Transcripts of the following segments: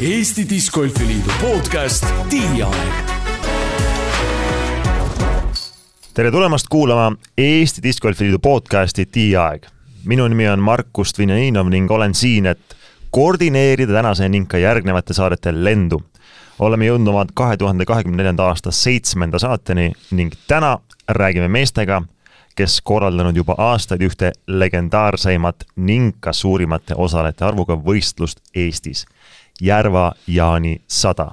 Eesti Discgolfiliidu podcast Tiiaeg. Tere tulemast kuulama Eesti Discgolfiliidu podcasti Tiiaeg. Minu nimi on Markus Dvinjaninov ning olen siin, et koordineerida tänase ning ka järgnevate saadete lendu. Oleme jõudnud oma 2024. aasta 7. saateni ning täna räägime meestega, kes korraldanud juba aastaid ühte legendaarseimat ning ka suurimate osalejate arvuga võistlust Eestis, Järva-Jaani 100.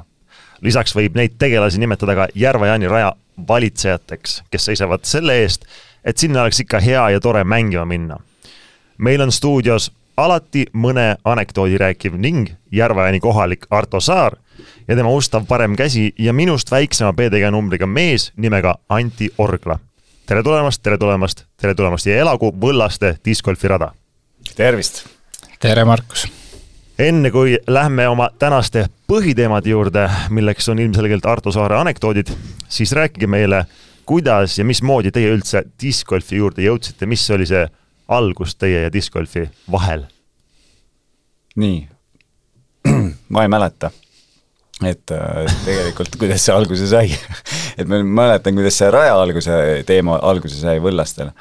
Lisaks võib neid tegelasi nimetada ka Järva-Jaani raja valitsejateks, kes seisavad selle eest, et sinna oleks ikka hea ja tore mängima minna. Meil on stuudios alati mõne anekdoodi rääkiv ning Järva-Jaani kohalik Arto Saar ja tema ustav parem käsi ja minust väiksema PDG numbriga mees nimega Anti Orgla. Tere tulemast ja elagu Võllaste discgolfi rada. Tervist! Tere, Markus! Enne kui lähme oma tänaste põhiteemade juurde, milleks on ilmselgelt Arto Saare anekdoodid, siis rääkige meile, kuidas ja mismoodi teie üldse discgolfi juurde jõudsite, mis oli see algus teie ja discgolfi vahel? Nii, ma ei mäleta, et tegelikult kuidas see alguse sai. Et ma mäletan, kuidas see raja teema alguse sai Võllastel.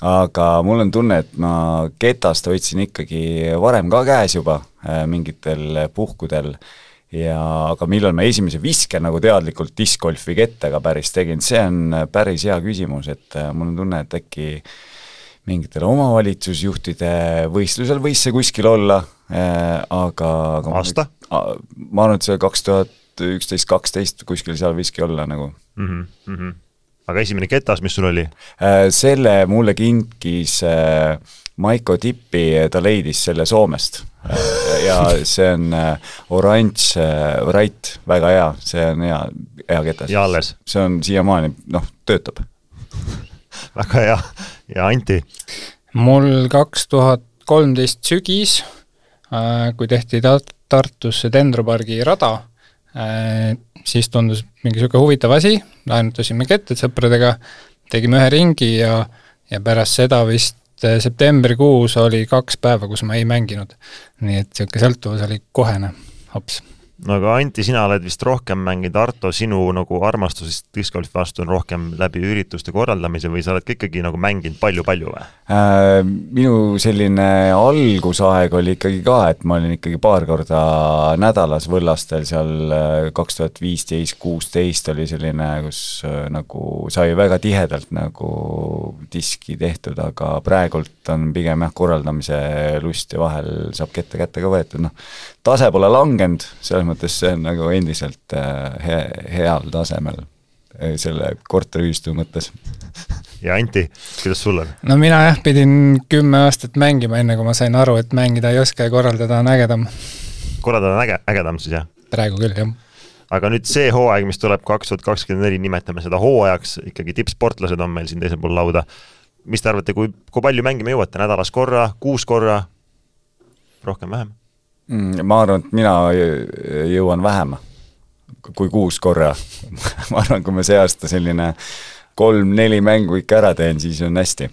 Aga mul on tunne, et ma ketast hoidsin ikkagi varem ka käes juba mingitel puhkudel. Aga millal ma esimese viske nagu teadlikult discgolfi kettaga päris tegin, see on päris hea küsimus, et mul on tunne, et äkki mingitel omavalitsusjuhtide võistlusel võis see kuskil olla, aga aasta? Ma arvan, et see 2011-2012 kuskil seal võiski olla nagu. Aga esimene ketas, mis sul oli? Selle mulle kinkis Maiko Tippi, ta leidis selle Soomest. Ja see on oranž Wright, väga hea, see on hea ketas. Ja alles? See on siiamaani, töötab. Väga hea. Ja Anti? Mul 2013 sügis, kui tehti Tartusse Dendropargi rada, siis tundus mingi siuke huvitav asi, laenutasime ketted sõpradega, tegime ühe ringi ja pärast seda vist septembrikuus oli 2 päeva, kus ma ei mänginud. Nii et siuke sõltuvus oli kohene, hops. No aga Anti, sina oled vist rohkem mänginud, Arto, sinu nagu armastusest discgolfi vastu on rohkem läbi ürituste korraldamise või sa oled ikkagi nagu mänginud palju või? Minu selline algusaeg oli ikkagi ka, et ma olin ikkagi paar korda nädalas Võllastel, seal 2015-16 oli selline, kus nagu sai väga tihedalt nagu diski tehtud, aga praegult on pigem korraldamise lust ja vahel saab kette ka võetud. Tase pole langenud, selles mõttes see on nagu endiselt heal tasemel selle korteriühistu mõttes. Ja Anti, kuidas sul on? No mina pidin 10 aastat mängima, enne kui ma sain aru, et mängida ei oska ja korraldada on ägedam. Korraldada on ägedam siis, jah? Praegu küll, jah. Aga nüüd see hooaeg, mis tuleb 2024, nimetame seda hooajaks, ikkagi tippsportlased on meil siin teisel pool lauda. Mis te arvate, kui palju mängime jõuate? Nädalas korra, 6 korra, rohkem vähem? Ma arvan, et mina jõuan vähem kui 6 korra. Ma arvan, kui ma see aasta selline 3-4 mängu ikka ära teen, siis on hästi.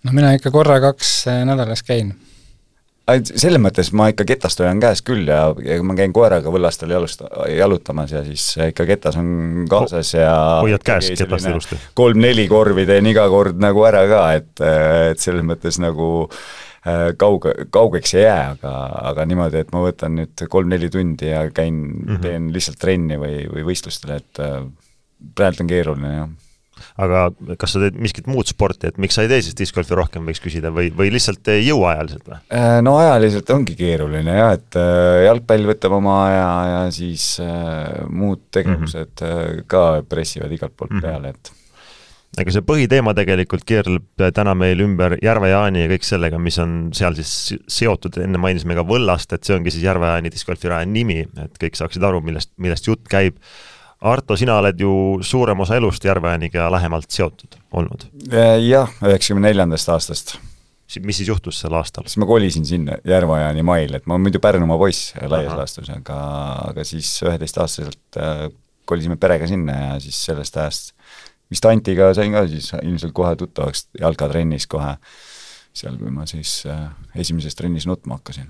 No mina ikka korra 2 nädalas käin. Selle mõttes ma ikka ketast hoian käes küll ja ma käin koeraga Võllastel jalutamas ja siis ikka ketas on kaasas ja hoiad käes ketast ilusti. 3-4 korvi teen iga kord nagu ära ka, et selles mõttes nagu kaugeks ei jää, aga niimoodi, et ma võtan nüüd 3-4 tundi ja teen lihtsalt trenni või võistlustele, et praegu on keeruline, jah. Aga kas sa teed miskit muud sporti, et miks sa ei tee siis discgolfi rohkem võiks küsida või lihtsalt jõua ajaliselt või? No ajaliselt ongi keeruline, jah, et jalgpall võtab oma aja ja siis muud tegevused ka pressivad igalt poolt peale, et aga see põhiteema tegelikult keerleb täna meil ümber Järva-Jaani ja kõik sellega, mis on seal siis seotud, enne mainisime ka Võllast, et see ongi siis Järva-Jaani discgolfi raja nimi, et kõik saaksid aru, millest jutt käib. Arto, sina oled ju suurem osa elust Järva-Jaaniga lähemalt seotud olnud. Jah, 94. aastast. Mis siis juhtus sel aastal? Siis ma kolisin sinna Järva-Jaani mail, et ma olen muidu Pärnumaa poiss laias laastus, aga siis 11-aastaselt kolisime perega sinna ja siis sellest ajast vist Antiga sain ka siis ilmselt kohe tuttavaks jalkatrennis kohe seal, kui ma siis esimeses trennis nutma hakkasin.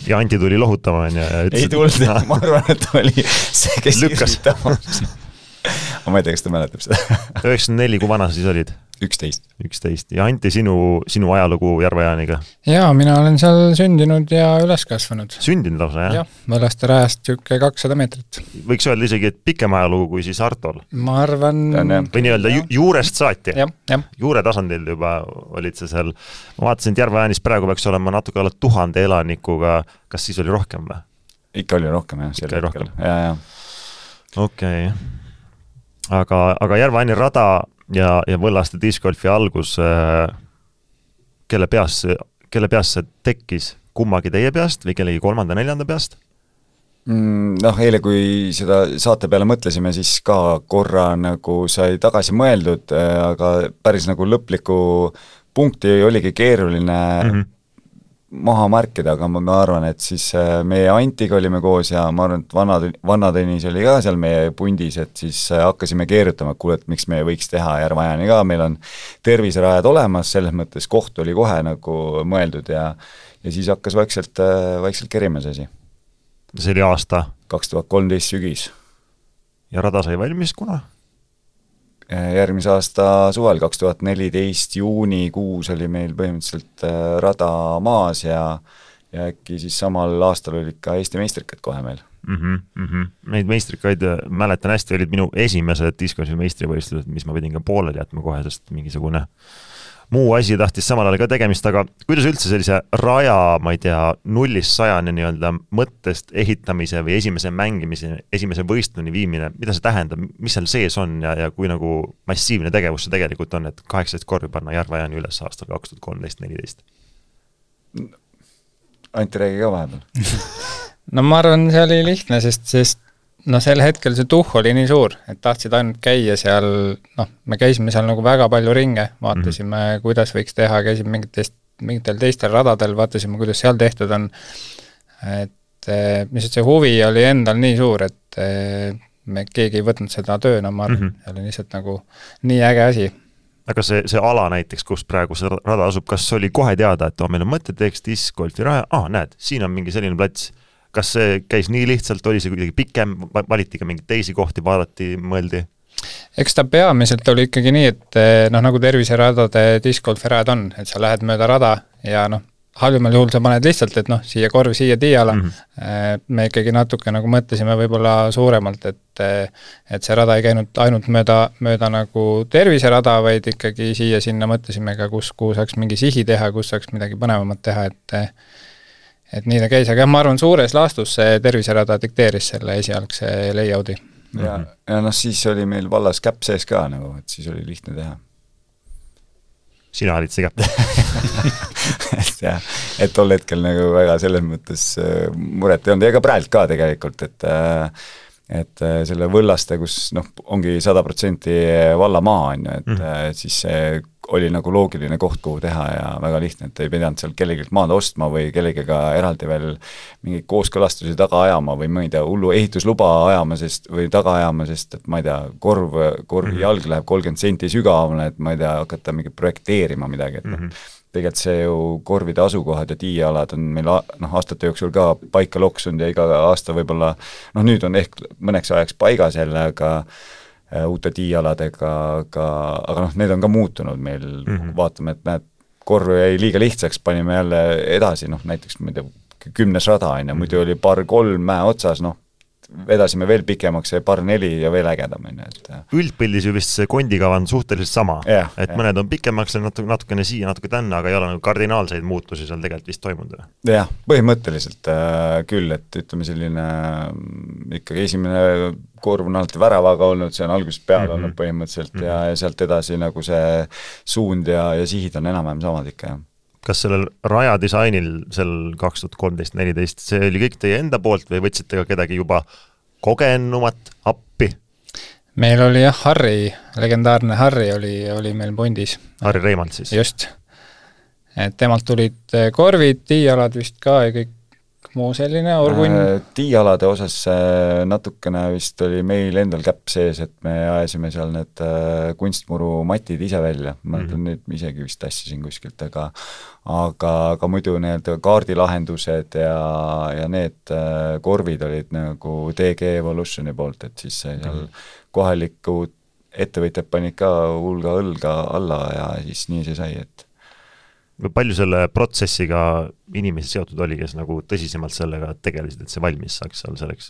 Ja Anti tuli lohutama ja ütles, ei tulnud, ma arvan, et oli see, kes lükkas. Aga ma ei tea, kas ta mäletab seda. 94, kui vana sa siis olid? 11. Ja Anti, sinu ajalugu Järva-Jaaniga? Jaa, mina olen seal sündinud ja üles kasvanud. Sündinud lausa, jah? Jah, Võllaste rajast tükke 200 meetrit. Võiks öelda isegi, et pikem ajalugu kui siis Artol? Ma arvan... Või nii-öelda juurest saati? Jah. Juure tasandil juba olid see seal. Ma vaatasin, et Järva-Jaanis praegu peaks olema natuke alla 1000 elanikuga. Kas siis oli rohkem või? Ikka oli rohkem, jah. Ikka oli rohkem. Ja. Okei. Aga Järva-Jaani rada ja Võllaste discgolfi algus, kelle peas see tekkis? Kummagi teie peast või kellegi 3.-4. peast? Eile, kui seda saate peale mõtlesime, siis ka korra nagu sai tagasi mõeldud, aga päris nagu lõpliku punkti oligi keeruline maha märkida, aga ma arvan, et siis meie Antiga olime koos ja ma arvan, et Vanna Tõnis oli ka seal meie pundis, et siis hakkasime keerutama, et kuule, et miks me võiks teha Järva-Jaani ka, meil on terviserajad olemas, selles mõttes koht oli kohe nagu mõeldud ja siis hakkas vaikselt kerima see asi. See oli aasta? 2013 sügis. Ja rada sai valmis kuna? Järgmise aasta suvel, 2014 juunikuus oli meil põhimõtteliselt rada maas ja äkki siis samal aastal olid ka Eesti meistrikad kohe meil. Neid meistrikaid mäletan hästi, olid minu esimesed discgolfi meistrivõistlused, mis ma pidin ka pooleli jätma kohe, sest mingisugune muu asi tahtis samal ajal ka tegemist, aga kuidas üldse sellise raja, ma ei tea, 0-100 nii-öelda mõttest ehitamise või esimese mängimise, esimese võistluni viimine, mida see tähendab, mis seal sees on ja kui nagu massiivne tegevus see tegelikult on, et 18 korvi panna Järva-Jaani üles aastal 2013-14? Anti, räägi ka vahepeal. No ma arvan, see oli lihtne, sest sel hetkel see tuhh oli nii suur, et tahtsid ainult käia seal, me käisime seal nagu väga palju ringe, vaatasime, kuidas võiks teha, käisime mingitel teistel radadel, vaatasime, kuidas seal tehtud on, et mis see huvi oli endal nii suur, et me keegi ei võtnud seda tööna, ma arvan, see oli lihtsalt nagu nii äge asi. Aga see ala näiteks, kus praegu see rada asub, kas oli kohe teada, et meil on mõte, teeks discgolfi raja, näed, siin on mingi selline plats. Kas see käis nii lihtsalt, oli see kuidagi pikem, valiti ka mingeid teisi kohti, vaadati, mõeldi? Eks ta peamiselt oli ikkagi nii, et nagu terviseradade discgolfi rajad on, et sa lähed mööda rada ja halvimal juhul sa paned lihtsalt, et siia korv, siia tiiala. Me ikkagi natuke nagu mõtlesime võib-olla suuremalt, et see rada ei käinud ainult mööda nagu terviserada, vaid ikkagi siia-sinna mõtlesime ka, kuhu saaks mingi sihi teha, kus saaks midagi põnevamat teha, et nii ta käis, aga ma arvan, suures laastus see terviserada dikteeris selle esialgse layout'i. Ja siis oli meil vallas käpp sees ka, nagu, et siis oli lihtne teha. Sina olid see käpp? et tol hetkel nagu väga selles mõttes muret ei olnud, ega praegu ka tegelikult, et selle Võllaste, kus ongi 100% vallamaa on ju, et siis see oli nagu loogiline koht, kuhu teha ja väga lihtne, et ei pidanud seal kellegilt maad ostma või kellegiga eraldi veel mingeid kooskõlastusi taga ajama või ma ei tea, hullu ehitusluba ajama või taga ajama, sest et ma ei tea, korvi jalg läheb 30 senti sügavamale, et ma ei tea, hakata mingi projekteerima midagi, et tegelikult see ju korvide asukohad ja tiialad on meil aastate jooksul ka paika loksunud ja iga aasta võib-olla, nüüd on ehk mõneks ajaks paigas jälle, aga uute tiialadega, aga need on ka muutunud meil, vaatame, et näed, korv jäi liiga lihtsaks, panime jälle edasi, näiteks ma ei tea, 10. rada on ja muidu oli par 3 mäe otsas, vedasime veel pikemaks ja par 4 ja veel ägedam. Üldpildis ju vist see kondikava on suhteliselt sama, et mõned on pikemaks natukene siia, natuke tänna, aga ei ole kardinaalseid muutusi seal tegelikult vist toimunud. Jah, põhimõtteliselt küll, et ütleme selline ikkagi esimene korv on alati väravaga olnud, see on algusest peale olnud põhimõtteliselt ja sealt edasi nagu see suund ja sihid on enam-vähem samad ikka, jah. Kas sellel rajadisainil sel 2013-14, see oli kõik teie enda poolt või võtsite ka kedagi juba kogenumat appi? Meil oli Harri, legendaarne Harri oli meil pundis. Harri Reimand siis? Just. Et temalt tulid korvid, tiialad vist ka ja muu selline, orgunn? Tiialade osas natukene vist oli meil endal käpp sees, et me ajasime seal need kunstmuru matid ise välja, ma mõtlen nüüd isegi vist tassisin kuskilt, aga muidu need kaardilahendused ja need korvid olid nagu DG Evolutioni poolt, et siis seal kohalikud ettevõtjad panid ka hulga õlga alla ja siis nii see sai, et palju selle protsessiga inimesi seotud oli, kes nagu tõsisemalt sellega tegelesid, et see valmis saaks seal selleks?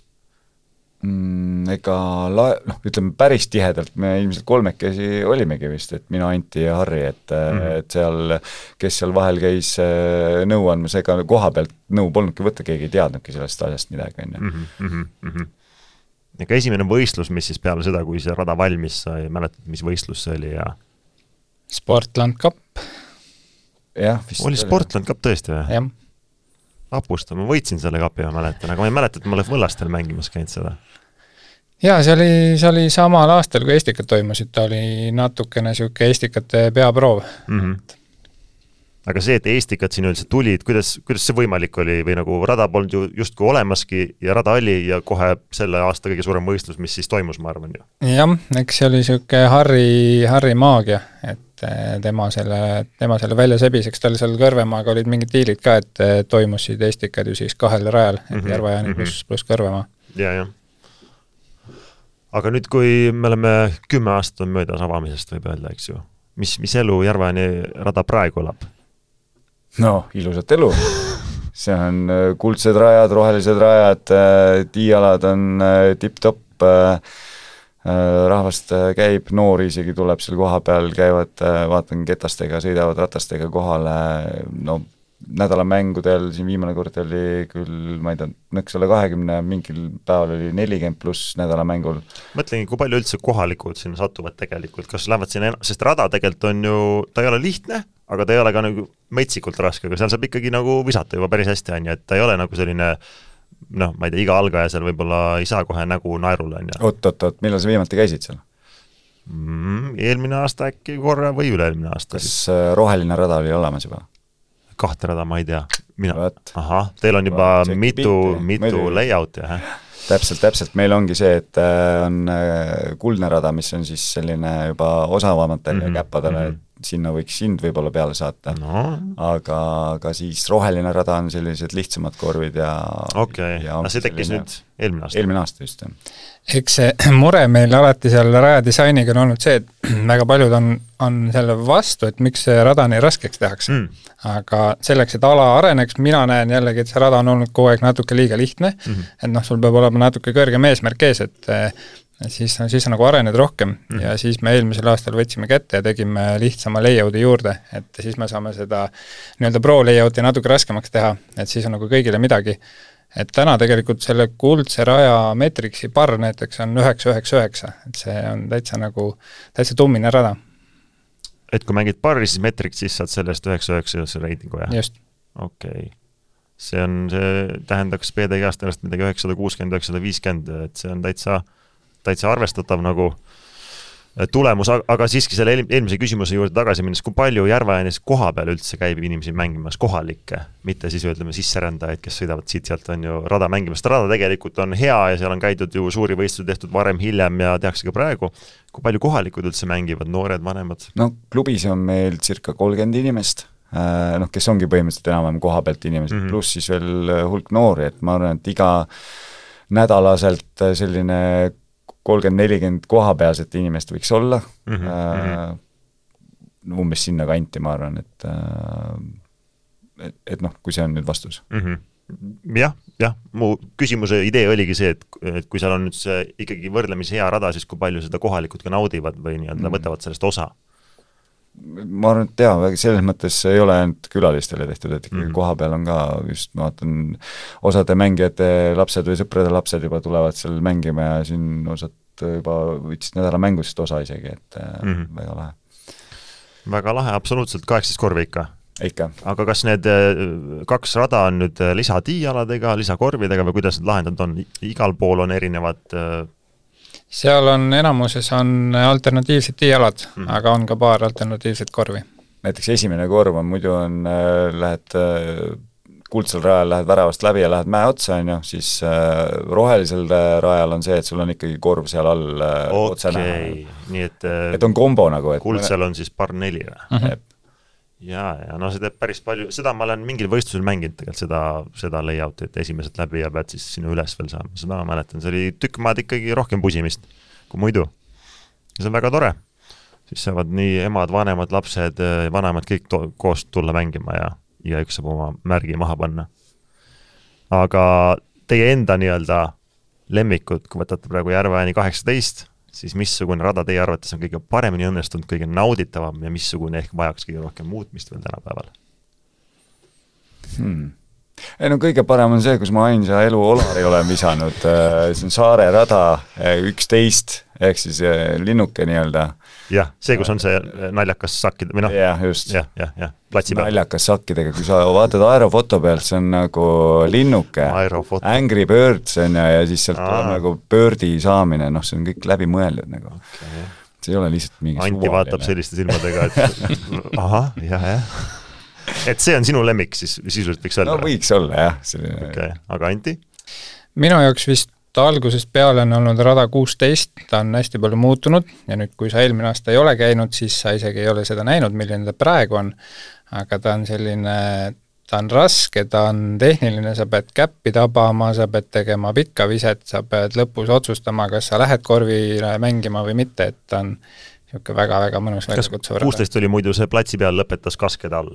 Ütleme päris tihedalt, me ilmselt kolmekesi olimegi vist, et mina, Anti ja Harri, et seal, kes seal vahel käis nõu andmas, ega koha pealt nõu polnudki võtta, keegi ei teadnudki sellest asjast midagi. Ega esimene võistlus, mis siis peale seda, kui see rada valmis sai, mäletad, mis võistlus see oli? Sportland Cup. Oli Sportland Cup tõesti või? Jah. Apusta, ma võitsin selle kapi, ma mäletan, aga ma ei mäleta, et ma olen Võllastel mängimas käinud seda. Jaa, see oli samal aastal, kui Estikad toimusid, ta oli natukene siuke Estikate peaproov. Aga see, et Estikad siin üldse tulid, kuidas see võimalik oli või nagu rada polnud ju justkui olemaski ja rada oli ja kohe selle aasta kõige suurem võistlus, mis siis toimus, ma arvan ju. Jah, eks see oli siuke Harri maagia, et tema selle välja sebiseks, tal seal Kõrvemaaga olid mingid diilid ka, et toimusid Estikad ju siis 2 rajal, et Järvajaani pluss Kõrvemaa. Ja. Aga nüüd, kui me oleme 10 aastat on möödas avamisest, võib öelda, eks ju, mis elu Järvajaani rada praegu elab? No, ilusat elu. See on kuldsed rajad, rohelised rajad, tiialad on tipp-topp, rahvast käib, noori isegi tuleb seal koha peal, käivad, vaatan ketastega, sõidavad ratastega kohale, no nädalamängudel, siin viimane kord oli küll, ma ei tea, nõks ole 20, mingil päeval oli 40 pluss nädalamängul. Mõtlengi, kui palju üldse kohalikud sinna satuvad tegelikult, kas lähevad sinna, sest rada tegelikult on ju, ta ei ole lihtne, aga ta ei ole ka nagu metsikult raske, aga seal saab ikkagi nagu visata juba päris hästi, et ta ei ole nagu selline, ma ei tea, iga algaja seal võib-olla ei saa kohe nägu naerule. Oot, millal sa viimati käisid seal? Eelmine aasta äkki korra või üle-eelmine aasta. Kas roheline rada oli olemas juba? 2 rada, ma ei tea. Teil on juba mitu layout, jah? Täpselt, meil ongi see, et on kuldne rada, mis on siis selline juba osavamatel ja käppadele, sinna võiks sind võib-olla peale saata, aga siis roheline rada on sellised lihtsamad korvid ja see tekkis nüüd eelmine aasta just. Eks see mure meil alati seal rajadisainiga on olnud see, et väga paljud on selle vastu, et miks see rada nii raskeks tehakse. Aga selleks, et ala areneks, mina näen jällegi, et see rada on olnud kogu aeg natuke liiga lihtne, et sul peab olema natuke kõrgem eesmärk ees, et siis on nagu arened rohkem ja siis me eelmisel aastal võtsime kätte ja tegime lihtsama layouti juurde, et siis me saame seda nii-öelda pro layouti natuke raskemaks teha, et siis on nagu kõigile midagi. Et täna tegelikult selle kuldse raja Metrixi par näiteks on 999, et see on täitsa tummine rada. Et kui mängid parri, siis Metrix, siis saad sellest 999 reitingu, jah? Just. Okei. See tähendaks PDG-ast ennast midagi 960-950, et see on täitsa arvestatav nagu tulemus, aga siiski selle eelmise küsimuse juurde tagasi minnes, kui palju Järvajanis koha peal üldse käib inimesi mängimas kohalikke, mitte siis ütleme sisserändajaid, kes sõidavad siit-sealt on ju rada mängimas. Rada tegelikult on hea ja seal on käidud ju suuri võistlusi tehtud varem, hiljem ja tehakse ka praegu. Kui palju kohalikud üldse mängivad, noored, vanemad? No klubis on meil circa 30 inimest, kes ongi põhimõtteliselt enam koha pealt inimesed, pluss siis veel hulk noori, et ma arvan, et iga nädalaselt selline 30-40 kohapealset inimest võiks olla, umbes sinna kanti, ma arvan, et kui see on nüüd vastus. Jah, mu küsimuse idee oligi see, et kui seal on nüüd see ikkagi võrdlemisi hea rada, siis kui palju seda kohalikud ka naudivad või nii-öelda võtavad sellest osa? Ma arvan, et selles mõttes ei ole ainult külalistele tehtud, et ikkagi koha peal on ka just, ma vaatan, osade mängijate lapsed või sõprade lapsed juba tulevad seal mängima ja siin osad juba võtsid nädala mängust osa isegi, et väga lahe. Väga lahe, absoluutselt 18 korvi ikka. Aga kas need 2 rada on nüüd lisatiialadega, lisakorvidega või kuidas need lahendad on? Igal pool on erinevad seal on enamuses on alternatiivsed tiialad, aga on ka paar alternatiivset korvi. Näiteks esimene korv on muidu lähed kuldsel rajal lähed väravast läbi ja lähed mäe otsa, on ju, siis rohelisel rajal on see, et sul on ikkagi korv seal all otse näha. Nii et on kombo nagu. Kuldsel on siis par 4 või? Ja no see teeb päris palju, seda ma olen mingil võistlusel mänginud tegelikult seda layouti, et esimesed läbi ja pead siis sinna üles veel saama, seda ma mäletan, see oli tükk maad ikkagi rohkem pusimist kui muidu. Ja see on väga tore. Siis saavad nii emad, vanemad, lapsed, vanemad kõik koos tulla mängima ja üks saab oma märgi maha panna. Aga teie enda nii-öelda lemmikud, kui võtate praegu Järveääni 18, siis missugune rada teie arvates on kõige paremini õnnestunud, kõige nauditavam ja missugune ehk vajaks kõige rohkem muutmist veel tänapäeval? Ei no kõige parem on see, kus ma ainsa elu Olari olen visanud, see on Saare rada 11, ehk siis linnuke nii-öelda. Jah, see, kus on see naljakas sakkide, või noh? Jah, just. Platsi peal. Naljakas sakkidega, kui sa vaatad aerofoto pealt, see on nagu linnuke, Angry Birds on ja siis sealt tuleb nagu Birdi saamine, noh, see on kõik läbi mõeldud nagu. Okay. See ei ole lihtsalt mingi Anti vaatab selliste silmadega, et ahah, jah. Et see on sinu lemmik, siis sisuliselt võiks olla? No võiks olla, jah. Okay. Aga Anti? Minu jaoks vist algusest peale on olnud rada 16, ta on hästi palju muutunud ja nüüd, kui sa eelmine aasta ei ole käinud, siis sa isegi ei ole seda näinud, milline ta praegu on, aga ta on selline, ta on raske, ta on tehniline, sa pead käppi tabama, sa pead tegema pikka viset, sa pead lõpus otsustama, kas sa lähed korvile mängima või mitte, et ta on niisugune väga-väga mõnus väljakutsuv rada. 16 oli muidu see platsi peal lõpetas kaskede all?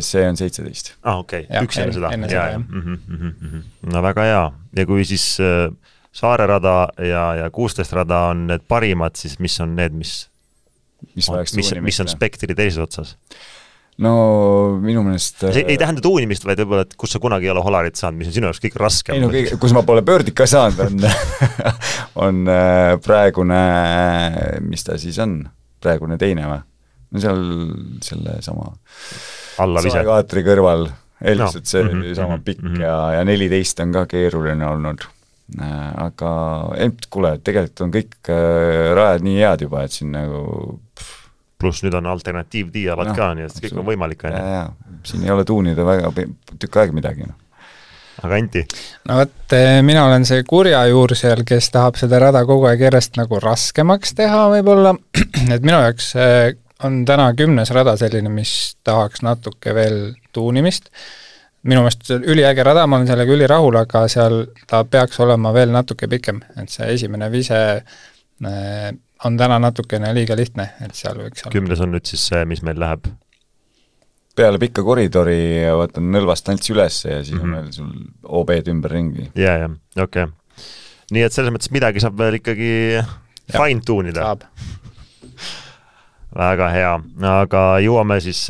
See on 17. Okei, üks enne seda. No väga hea. Ja kui siis Saare rada ja 16 rada on need parimad, siis mis on need, mis on spektri teises otsas? No minu meelest... See ei tähenda tuunimist, vaid võib-olla, et kus sa kunagi ei ole Holarit saanud, mis on sinu jaoks kõik raskem. Ei no kus ma pole Birdit ka saanud, on praegune, mis ta siis on? Praegune teine või? No seal selle sama... Saekaatri kõrval, eeldused see sama pikk ja 14 on ka keeruline olnud. Aga kuule, tegelikult on kõik rajad nii head juba, et siin nagu... Pluss nüüd on alternatiiv dialad ka, nii et kõik on võimalik. Siin ei ole tuunida väga tükk aeg midagi. Aga Anti? No võt, mina olen see kurja juur seal, kes tahab seda rada kogu aeg järjest nagu raskemaks teha võib-olla, et minu jaoks on täna 10. rada selline, mis tahaks natuke veel tuunimist. Minu meelest üliäge rada, ma olen sellega ülirahul, aga seal ta peaks olema veel natuke pikem, et see esimene vise on täna natukene liiga lihtne, et seal võiks olla. 10. on nüüd siis see, mis meil läheb? Peale pikka koridori võtan nõlvast tants üles ja siis on veel sul OB-d ümber ringi. Ja, okei. Nii et selles mõttes midagi saab veel ikkagi fine tuunida. Saab. Väga hea, aga jõuame siis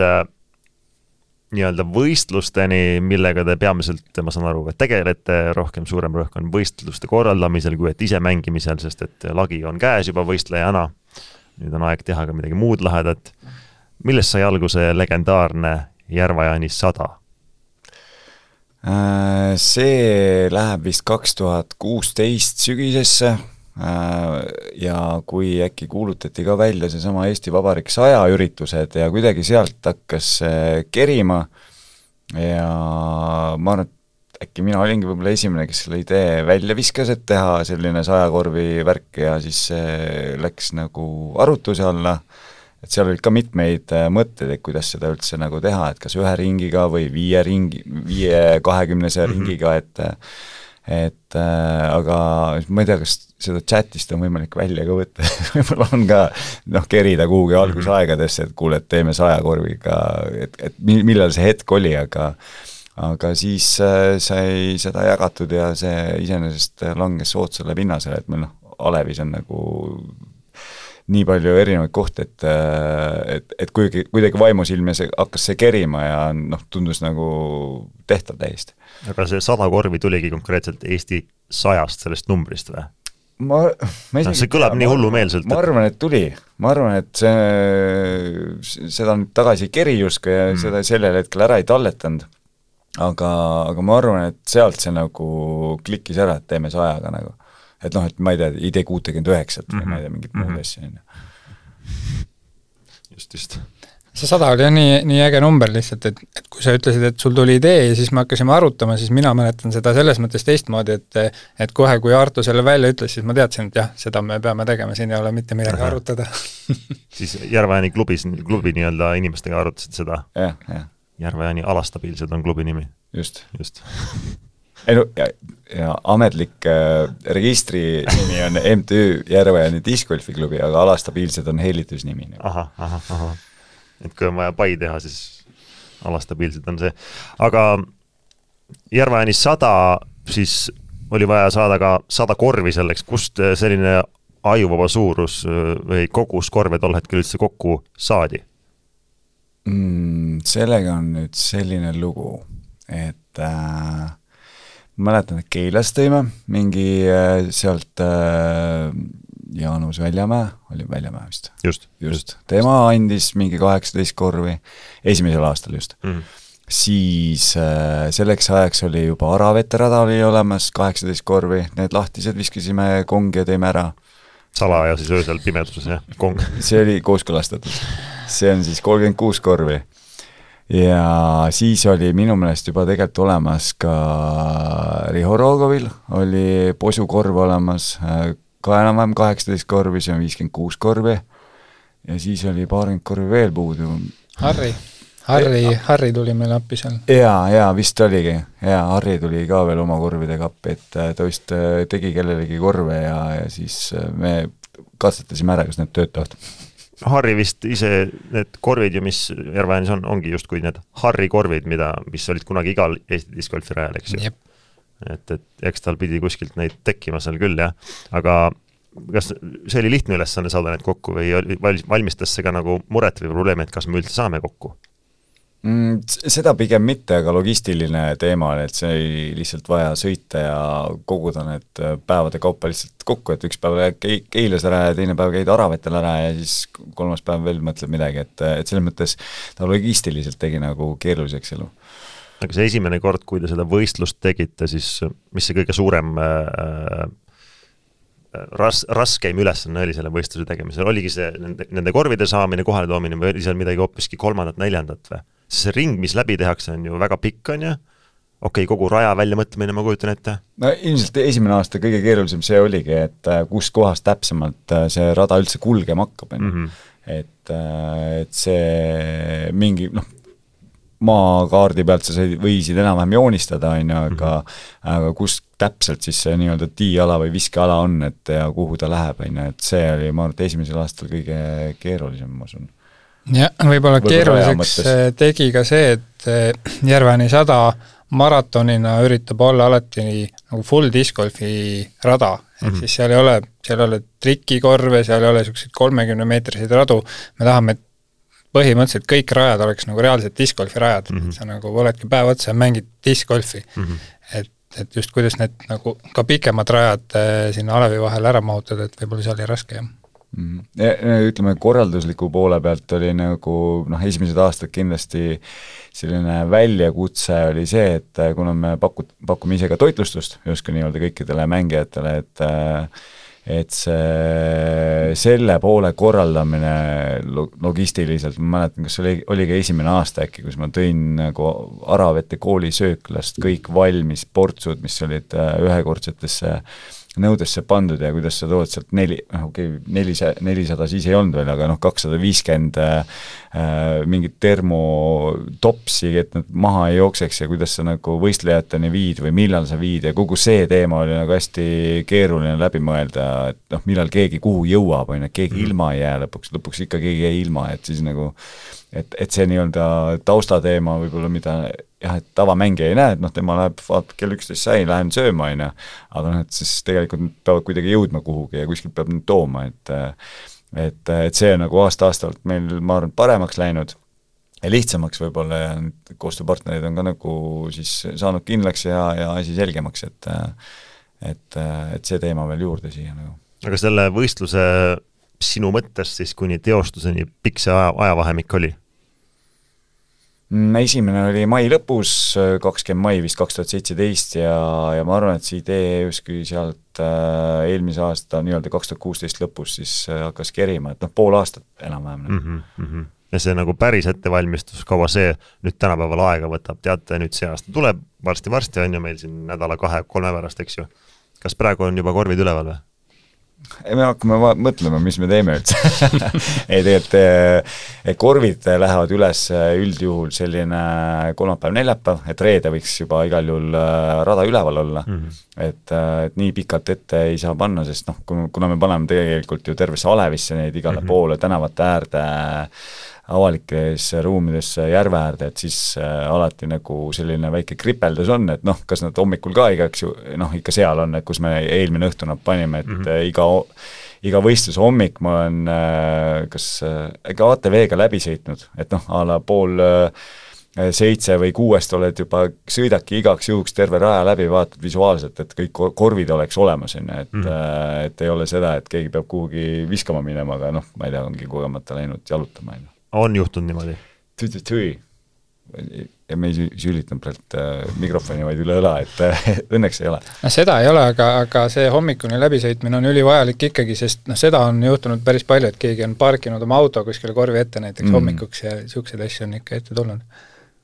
nii-öelda võistlusteni, millega te peamiselt, ma saan aru, et tegelete rohkem suurem rõhk on võistluste korraldamisel kui et ise mängimisel, sest et lagi on käes juba võistlejana. Nüüd on aeg teha ka midagi muud lahedat. Millest sai alguse legendaarne Järveääni 100? See läheb vist 2016 sügisesse. Ja kui äkki kuulutati ka välja see sama Eesti Vabariik 100 üritused ja kuidagi sealt hakkas kerima ja ma arvan, et äkki mina olingi võib-olla esimene, kes selle idee välja viskas, et teha selline 100 korvi värk ja siis see läks nagu arutuse alla, et seal olid ka mitmeid mõtteid, et kuidas seda üldse nagu teha, et kas 1 ringiga või 5-20 ringiga, aga ma ei tea, kas seda chatist on võimalik välja ka võtta, võib-olla on ka kerida kuhugi algusaegadesse, et kuule, et teeme 100 korviga, et millal see hetk oli, aga siis sai seda jagatud ja see iseenesest langes soodsale pinnasele, et meil Alevis on nagu nii palju erinevaid kohti, et kuidagi vaimusilme hakkas see kerima ja tundus nagu tehtav täiesti. Aga see 100 korvi tuligi konkreetselt Eesti 100-st sellest numbrist või? See kõlab nii hullumeelselt. Ma arvan, et tuli. Ma arvan, et seda nüüd tagasi keri justkui ja seda sellel hetkel ära ei talletanud. Aga ma arvan, et sealt see nagu klikkis ära, et teeme 100-ga nagu. Et et ma ei tea, ID 69, ma ei tea, mingit muud asja. Just. see 100 oli jah nii äge number lihtsalt, et kui sa ütlesid, et sul tuli idee ja siis me hakkasime arutama, siis mina mäletan seda selles mõttes teistmoodi, et kohe, kui Arto selle välja ütles, siis ma teadsin, et jah, seda me peame tegema, siin ei ole mitte midagi arutada. Siis Järva-Jaani klubi nii-öelda inimestega arutasid seda? Jah. Järva-Jaani alastabiilsed on klubi nimi. Just. Ei no, ja ametlik registri nimi on MTÜ Järva-Jaani discgolfiklubi, aga alastabiilsed on hellitusnimi. Aha. Et kui on vaja pai teha, siis alastabiilsed on see. Aga Järva-Jaani 100, siis oli vaja saada ka 100 korvi selleks, kust selline ajuvaba suurus või kogus korve tol hetkel üldse kokku saadi? Sellega on nüüd selline lugu, et mäletan, et Keilas tõime mingi sealt Jaanus Väljamäe, oli Väljamäe vist. Just. Tema andis mingi 18 korvi, esimesel aastal just. Siis selleks ajaks oli juba Araveterada oli olemas, 18 korvi, need lahtised viskasime kongi ja teime ära. Salaja siis öösel pimeduses, jah, kong. See oli kooskõlastatud. See on siis 36 korvi. Ja siis oli minu meelest juba tegelikult olemas ka Riho Rogovil, oli posukorv olemas, ka enam-vähem 18 korvi, see on 56 korvi. Ja siis oli 20 korvi veel puudu. Harri tuli meil appi seal. Jaa, vist oligi. Jaa, Harri tuli ka veel oma korvidega appi, et ta vist tegi kellelegi korve ja siis me katsetasime ära, kas need töötavad. Harri vist ise, need korvid ju, mis Järva-Jaanis ongi just kui need Harri korvid, mis olid kunagi igal Eesti discgolfi rajal, eks ju. Et eks tal pidi kuskilt neid tekkima seal küll, jah. Aga kas see oli lihtne ülesanne saada need kokku või valmistas see ka nagu muret või probleemi, et kas me üldse saame kokku? Seda pigem mitte, aga logistiline teema, et see ei lihtsalt vaja sõita ja koguda need päevade kaupa lihtsalt kokku, et üks päev Keilas ära ja teine päev käid Aravetel ära ja siis kolmas päev veel mõtleb midagi, et selles mõttes ta logistiliselt tegi nagu keeruliseks elu. Aga see esimene kord, kui te seda võistlust tegite, siis mis see kõige suurem raskeim ülesanne oli selle võistluse tegemisel? Oligi see nende korvide saamine, kohale toomine või oli seal midagi hoopiski 3., 4. või? See ring, mis läbi tehakse, on ju väga pikk, on ju? Okei, kogu raja välja mõtlemine, ma kujutan ette? No ilmselt esimene aasta kõige keerulisem see oligi, et kus kohas täpsemalt see rada üldse kulgema hakkab. Et see mingi, maakaardi pealt sa võisid enam-vähem joonistada, aga kus täpselt siis see nii-öelda tiiala või viskeala on, et ja kuhu ta läheb, et see oli, ma arvan, et esimesel aastal kõige keerulisem, ma usun. Ja võib-olla keeruliseks tegi ka see, et Järva-Jaani 100 maratonina üritab olla alati nagu full discgolfi rada, et siis seal ei ole trikikorve, seal ei ole selliseid 30-meetriseid radu, me tahame, et põhimõtteliselt kõik rajad oleks nagu reaalselt discgolfi rajad, et sa nagu oledki päev otsa ja mängid discgolfi, et just kuidas need nagu ka pikemad rajad sinna alevi vahel ära mahutada, et võib-olla see oli raske, jah. Ütleme, korraldusliku poole pealt oli nagu, esimesed aastad kindlasti selline väljakutse oli see, et kuna me pakume ise ka toitlustust justkui nii-öelda kõikidele mängijatele, et selle poole korraldamine logistiliselt, ma mäletan, kas oligi esimene aasta äkki, kus ma tõin nagu Aravete kooli sööklast kõik valmis portsud, mis olid ühekordsetesse nõudesse pandud ja kuidas sa tood sealt 400 siis ei olnud veel, aga 250 mingit termotopsi, et nad maha ei jookseks ja kuidas sa nagu võistlejateni viid või millal sa viid ja kogu see teema oli nagu hästi keeruline läbi mõelda, et millal keegi kuhu jõuab, keegi ilma ei jää lõpuks ikka keegi jäi ilma, et siis nagu et see nii-öelda taustateema võib-olla, mida jah, et tavamängija ei näe, et tema läheb, vaatab kell 11 sai, lähen sööma, aga et siis tegelikult nad peavad kuidagi jõudma kuhugi ja kuskilt peab nüüd tooma, et see on nagu aasta-aastalt meil, ma arvan, paremaks läinud ja lihtsamaks võib-olla ja koostööpartnerid on ka nagu siis saanud kindlaks ja asi selgemaks, et see teema veel juurde siia nagu. Aga selle võistluse sinu mõttes siis kuni teostuseni pikk see ajavahemik oli? Esimene oli mai lõpus, 20 mai vist 2017 ja ma arvan, et see idee justkui sealt eelmise aasta nii-öelda 2016 lõpus siis hakkas kerima, et pool aastat enam-vähem. ja see nagu päris ettevalmistus, kaua see nüüd tänapäeval aega võtab, teate, nüüd see aasta tuleb, varsti on ju meil siin nädala 2-3 pärast, eks ju. Kas praegu on juba korvid üleval või? Ei, me hakkame mõtlema, mis me teeme üldse. Ei, tegelikult korvid lähevad üles üldjuhul selline kolmapäev-neljapäev, et reede võiks juba igal juhul rada üleval olla. Et nii pikalt ette ei saa panna, sest kuna me paneme tegelikult ju tervesse Alevisse neid igale poole tänavate äärde, avalikes ruumides järve äärde, et siis alati nagu selline väike kripeldus on, et kas nad hommikul ka igaks ju, ikka seal on, et kus me eelmine õhtu nad panime, et iga võistluse hommik ma olen kas ATV-ga läbi sõitnud, et a la 6:30 või 6 oled juba, sõidaki igaks juhuks terve raja läbi, vaatad visuaalselt, et kõik korvid oleks olemas, et ei ole seda, et keegi peab kuhugi viskama minema, aga ma ei tea, ongi kogemata läinud jalutama. On juhtunud niimoodi? Ja me ei sülitanud praegu mikrofoni vaid üle õla, et õnneks ei ole. Seda ei ole, aga see hommikune läbisõitmine on ülivajalik ikkagi, sest seda on juhtunud päris palju, et keegi on parkinud oma auto kuskile korvi ette näiteks hommikuks ja siukseid asju on ikka ette tulnud.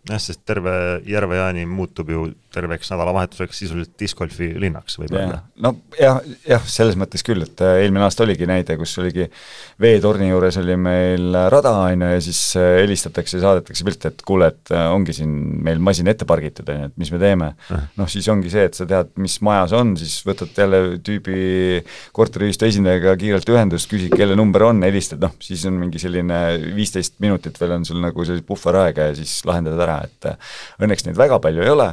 Jah, sest terve Järve-Jaani muutub ju terveks nädalavahetuseks sisuliselt discgolfi linnaks võib öelda. Jah, selles mõttes küll, et eelmine aasta oligi näide, kus oligi veetorni juures oli meil rada ja siis helistatakse ja saadetakse pilt, et kuule, et ongi siin meil masin ette pargitud, et mis me teeme. Siis ongi see, et sa tead, mis majas on, siis võtad jälle tüübi korteriühistu esindajaga kiirelt ühendust, küsid, kelle number on, helistad, siis on mingi selline 15 minutit veel on sul nagu selline puhveraega ja siis lahendad ära, et õnneks neid väga palju ei ole,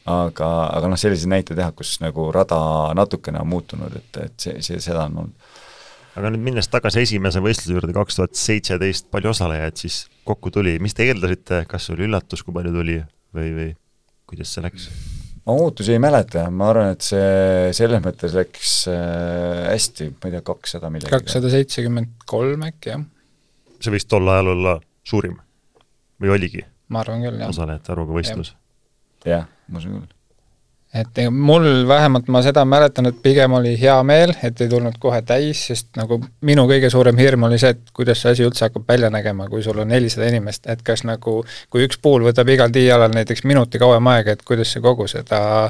aga selliseid näite teha, kus nagu rada natukene on muutunud, et seda on olnud. Aga nüüd minnes tagasi esimese võistluse juurde 2017 palju osalejaid, siis kokku tuli, mis te eeldasite, kas oli üllatus, kui palju tuli või kuidas see läks? Ma muutusi ei mäleta, ma arvan, et see selles mõttes läks hästi, ma ei tea, 200 millegi. 273 äkki, jah. See võis tol ajal olla suurim või oligi? Ma arvan küll, jah. Osalejate arvuga võistlus. Jah, ma usun küll. Et mul vähemalt ma seda mäletan, et pigem oli hea meel, et ei tulnud kohe täis, sest nagu minu kõige suurem hirm oli see, et kuidas see asi üldse hakkab välja nägema, kui sul on 400 inimest, et kas nagu, kui üks puul võtab igal tiialal näiteks minuti kauem aega, et kuidas see kogu seda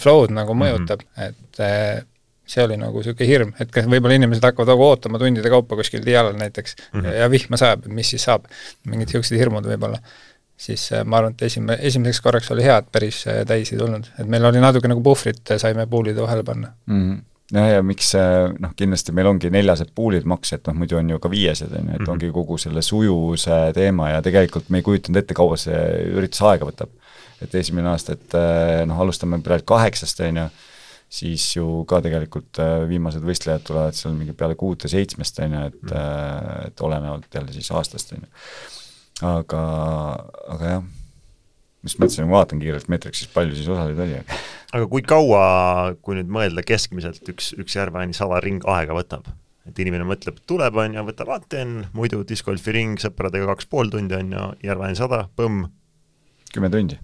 flow'd nagu mõjutab, et see oli nagu selline hirm, et kas võib-olla inimesed hakkavad ootama tundide kaupa kuskil tiialal näiteks ja vihma sajab, mis siis saab, mingid sellised hirmud võib-olla. Siis ma arvan, et esimeseks korraks oli hea, et päris täis ei tulnud. Et meil oli natuke nagu puhvrit, saime puulide vahele panna. Ja miks kindlasti meil ongi 400 puulid maks, et muidu on ju ka 500, et ongi kogu selle sujuvuse teema ja tegelikult me ei kujutanud ette, kaua see üritus aega võtab. Et esimene aasta, et alustame praegu 8, siis ju ka tegelikult viimased võistlejad tulevad seal mingi peale 6-7, et olenevalt jälle siis aastast, aga jah, mis mõtlesin, ma vaatan kiirelt meetriks, siis palju siis osaleid oli. Aga kui kaua, kui nüüd mõelda keskmiselt üks Järve-Jaani 100 ring aega võtab? Et inimene mõtleb, tuleb on ja võtab vaaten, muidu discgolfi ring sõpradega 2,5 tundi on ja Järve-Jaani 100, põmm. 10 tundi.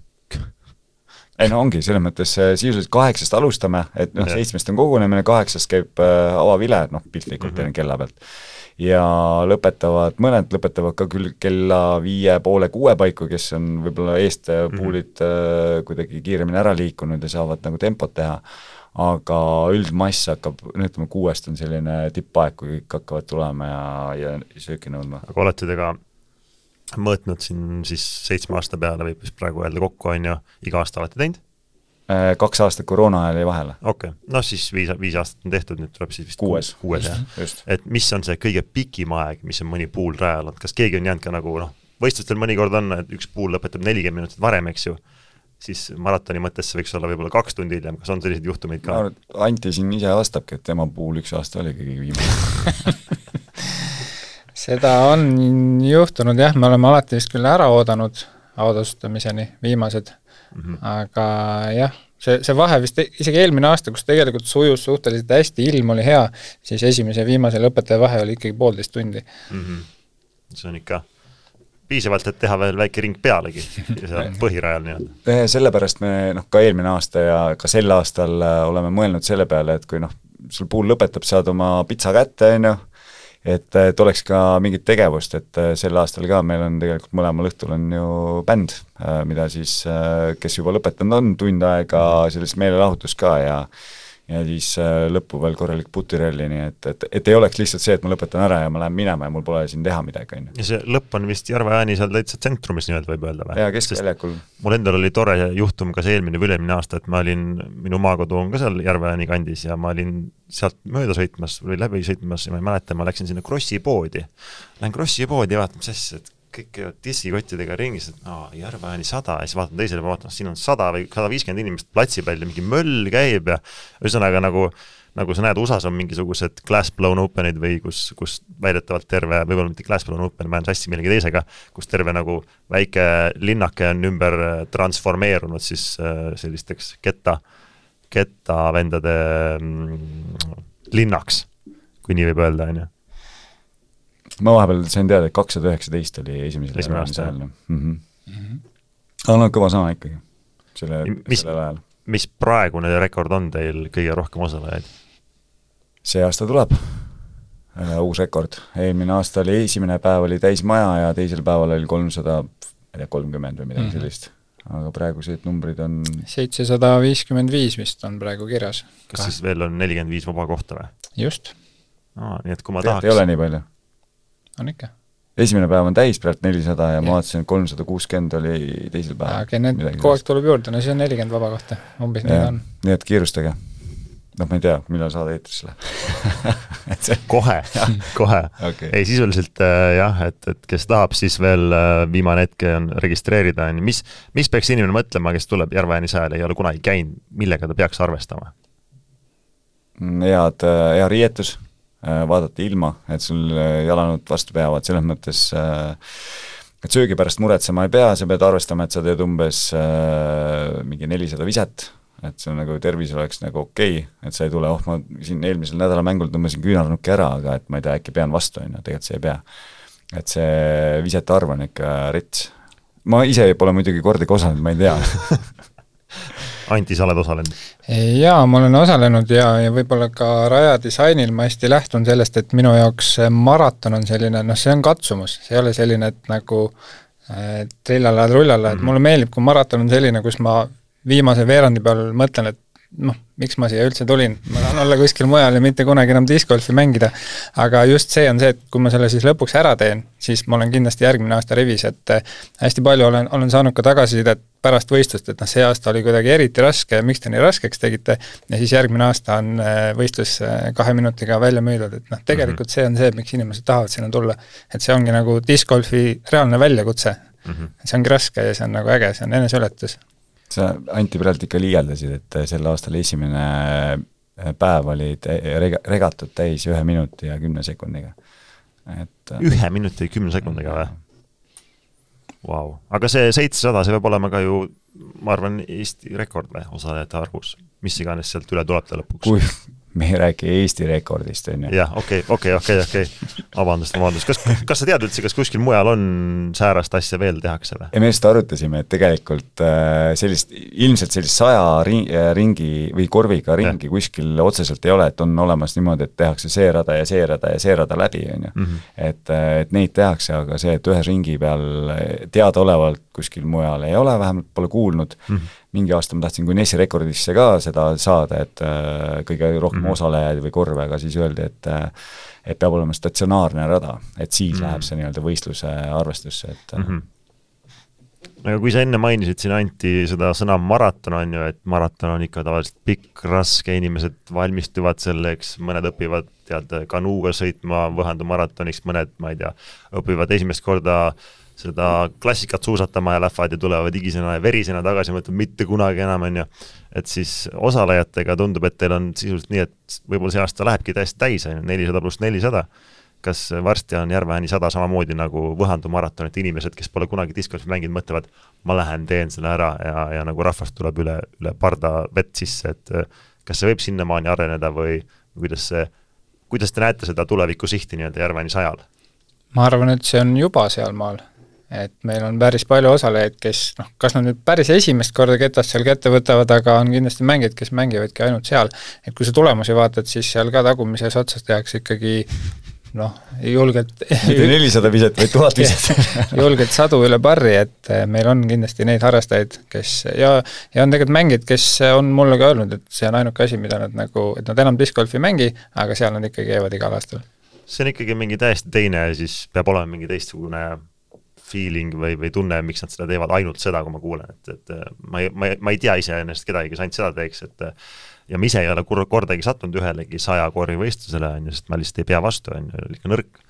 Ei ongi, selles mõttes sisuliselt 8 alustame, et 7 on kogunemine, 8 käib avavile, piltlikult teine kella pealt. Ja mõned lõpetavad ka küll kella 5:30-6 paiku, kes on võib-olla eest puulid kuidagi kiiremini ära liikunud ja saavad nagu tempot teha, aga üldmass hakkab, 6 on selline tippaeg, kui kõik hakkavad tulema ja sööki nõudma. Aga olete te ka mõõtnud siin siis 7 aasta peale või praegu öelda kokku on ja iga aasta olete teinud? 2 aastat koroona ajal jäi vahele. Okei, siis 5 aastat on tehtud, nüüd tuleb siis vist 6 just. Et mis on see kõige pikim aeg, mis on mõni puul rajal, kas keegi on jäänud ka nagu võistlustel mõnikord on, et üks puul lõpetab 40 minutit varem, eks ju, siis maratoni mõttes see võiks olla võib-olla 2 tundi hiljem, kas on sellised juhtumeid ka? Anti siin ise vastabki, et tema puul 1 aasta oli kõige viimane. Seda on juhtunud jah, me oleme alati vist küll ära oodanud audastamiseni viimased, aga jah, see vahe vist isegi eelmine aasta, kus tegelikult sujus suhteliselt hästi, ilm oli hea, siis esimese ja viimase lõpetaja vahe oli ikkagi 1,5 tundi. See on ikka piisavalt, et teha veel väike ring pealegi põhirajal nii-öelda. Sellepärast me ka eelmine aasta ja ka sel aastal oleme mõelnud selle peale, et kui sul puul lõpetab, saad oma pitsa kätte, et oleks ka mingit tegevust, et sel aastal ka meil on tegelikult mõlemal õhtul on ju bänd, mida siis, kes juba lõpetanud on, tund aega sellist meelelahutust ka ja siis lõppu veel korralik putiralli, nii et ei oleks lihtsalt see, et ma lõpetan ära ja ma lähen minema ja mul pole siin teha midagi. Ja see lõpp on vist Järve-Ääni seal täitsa tsentrumis nii-öelda võib öelda või? Jaa, keskväljakul. Mul endal oli tore juhtum ka see eelmine või ülemine aasta, et ma olin, minu maakodu on ka seal Järve-Ääni kandis ja ma olin sealt mööda sõitmas või läbi sõitmas ja ma ei mäleta, ma läksin sinna Krossi poodi. Lähen Krossi poodi ja vaatan, mis asja, et kõik käivad diskikottidega ringis, et Järve-Ääni 100 ja siis vaatan teisele, vaatan, siin on 100 või 150 inimest platsi peal ja mingi möll käib ja ühesõnaga nagu sa näed, USA-s on mingisugused glass-blown openid või kus väidetavalt terve, võib-olla mitte glass-blown open, ma olen sassi millegi teisega, kus terve nagu väike linnake on ümber transformeerunud siis sellisteks kettavendade linnaks, kui nii võib öelda, on ju. Ma vahepeal sain teada, et 219 oli esimesel ajal. Aga no kõva sama ikkagi sellel ajal. Mis praegune rekord on teil kõige rohkem osalejaid? See aasta tuleb uus rekord. Eelmine aasta oli esimene päev oli täis maja ja teisel päeval oli 330 või midagi sellist. Aga praegused numbrid on 755 vist on praegu kirjas. Kas siis veel on 45 vaba kohta või? Just. Nii et kui ma tahaks... Ei ole nii palju? On ikka. Esimene päev on täis praegu 400 ja ma vaatasin, 360 oli teisel päev. Aga need kogu tuleb juurde, no see on 40 vaba kohta, umbes nii on. Nii et kiirustage. Ma ei tea, millal saada eetrisse läheb. Kohe. Okay. Ei, sisuliselt jah, et kes tahab, siis veel viimane hetke on registreerida. Mis peaks inimene mõtlema, kes tuleb Järve-Ääni sajale, ei ole kunagi käinud, millega ta peaks arvestama? Hea riietus. Vaadata ilma, et sul jalanud vastu peavad, selles mõttes et söögi pärast muretsema ei pea, sa pead arvestama, et sa teed umbes mingi 400 viset, et see on nagu tervis oleks nagu okei, et sa ei tule, ma siin eelmisel nädala mängul tõmbasin küünarnuki ära, aga et ma ei tea, äkki pean vastu, tegelikult see ei pea. Et see visete arv on ikka rits. Ma ise pole muidugi kordagi osalenud, ma ei tea. Anti, sa oled osalenud? Jaa, ma olen osalenud ja võib-olla ka rajadisainil ma hästi lähtun sellest, et minu jaoks maraton on selline, see on katsumus, see ei ole selline, et nagu trillala, et mulle meeldib, kui maraton on selline, kus ma viimase veerandi peal mõtlen, et miks ma siia üldse tulin, ma tahan olla kuskil mujal ja mitte kunagi enam discgolfi mängida, aga just see on see, et kui ma selle siis lõpuks ära teen, siis ma olen kindlasti järgmine aasta rivis, et hästi palju olen saanud ka tagasisidet pärast võistlust, et see aasta oli kuidagi eriti raske, miks te nii raskeks tegite ja siis järgmine aasta on võistlus 2 minutiga välja müüdud, et tegelikult see on see, miks inimesed tahavad sinna tulla, et see ongi nagu discgolfi reaalne väljakutse, see ongi raske ja see on nagu äge, see on eneseületus. Sa Anti praegu ikka liialdasid, et sel aastal esimene päev oli regatud täis 1 minuti ja 10 sekundiga. 1 minuti ja 10 sekundiga või? Wow. Aga see 700, see peab olema ka ju, ma arvan, Eesti rekord või osalejate arvus, mis iganes sealt üle tuleb ta lõpuks. Kui me ei räägi Eesti rekordist, on ju. Jah, okei. Vabandust. Kas sa tead üldse, kas kuskil mujal on säärast asja veel tehakse või? Ja me just arutasime, et tegelikult ilmselt sellist 100 ringi või korviga ringi kuskil otseselt ei ole, et on olemas niimoodi, et tehakse see rada ja see rada ja see rada läbi, on ju. Et neid tehakse, aga see, et ühe ringi peal teadaolevalt kuskil mujal ei ole, vähemalt pole kuulnud. Mingi aasta ma tahtsin Guinessi rekordisse ka seda saada, et kõige rohkem osalejaid või korve, aga siis öeldi, et peab olema statsionaarne rada, et siis läheb see nii-öelda võistluse arvestusse, et Aga kui sa enne mainisid siin Anti seda sõna maraton on ju, et maraton on ikka tavaliselt pikk, raske, inimesed valmistuvad selleks, mõned õpivad kanuuga sõitma Võhandu maratoniks, mõned, ma ei tea, õpivad esimest korda seda klassikat suusatama ja lähevad ja tulevad higisena ja verisena tagasi, mõtleb mitte kunagi enam, on ju. Et siis osalejatega tundub, et teil on sisuliselt nii, et võib-olla see aasta lähebki täiesti täis, 400 pluss 400. Kas varsti on Järve-Ääni 100 samamoodi nagu Võhandu maraton, et inimesed, kes pole kunagi discgolfi mänginud, mõtlevad, ma lähen, teen selle ära ja nagu rahvast tuleb üle parda vett sisse, et kas see võib sinnamaani areneda või kuidas te näete seda tuleviku sihti nii-öelda Järve-Ääni 100-l? Ma arvan, et see on juba seal maal. Et meil on päris palju osalejaid, kes, kas nad nüüd päris esimest korda ketast seal kätte võtavad, aga on kindlasti mängijad, kes mängivadki ainult seal. Et kui sa tulemusi vaatad, siis seal ka tagumises otsas tehakse ikkagi noh, julgelt mitte 400 viset, vaid 1000 viset. julgelt sadu üle barri, et meil on kindlasti neid harrastajaid, kes ja on tegelikult mängid, kes on mulle ka öelnud, et see on ainuke asi, mida nad nagu, et nad enam discgolfi mängi, aga seal nad ikkagi käivad igal aastal. See on ikkagi mingi täiesti teine, siis peab olema mingi teistsugune feeling või tunne, miks nad seda teevad ainult seda, kui ma kuulen, et ma ei tea ise ennast kedagi, kes ainult seda teeks, et ja ma ise ei ole kordagi sattunud ühelegi 100 korvivõistlusele, sest ma lihtsalt ei pea vastu, ikka nõrk,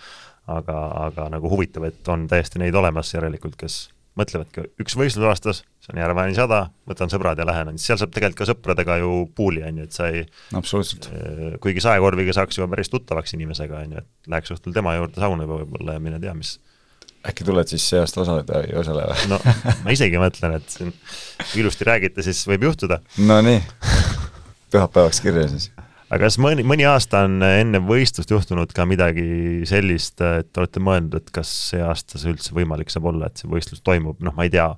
aga nagu huvitav, et on täiesti neid olemas järelikult, kes mõtlevadki üks võistlus aastas, see on Järvani 100, võtan sõbrad ja lähen, seal saab tegelikult ka sõpradega ju puuli, et sa ei absoluutselt. Kuigi 100 korviga saaks juba päris tuttavaks inimesega, et läheks õhtul tema juurde sauna võib-olla ja mine tea, mis äkki tuled siis see aasta osaleda või osale või? No, ma isegi mõtlen, et siin ilusti räägite, siis võib juhtuda. No nii, pühapäevaks kirja siis. Aga kas mõni aasta on enne võistlust juhtunud ka midagi sellist, et olete mõelnud, et kas see aasta see üldse võimalik saab olla, et see võistlus toimub, noh, ma ei tea,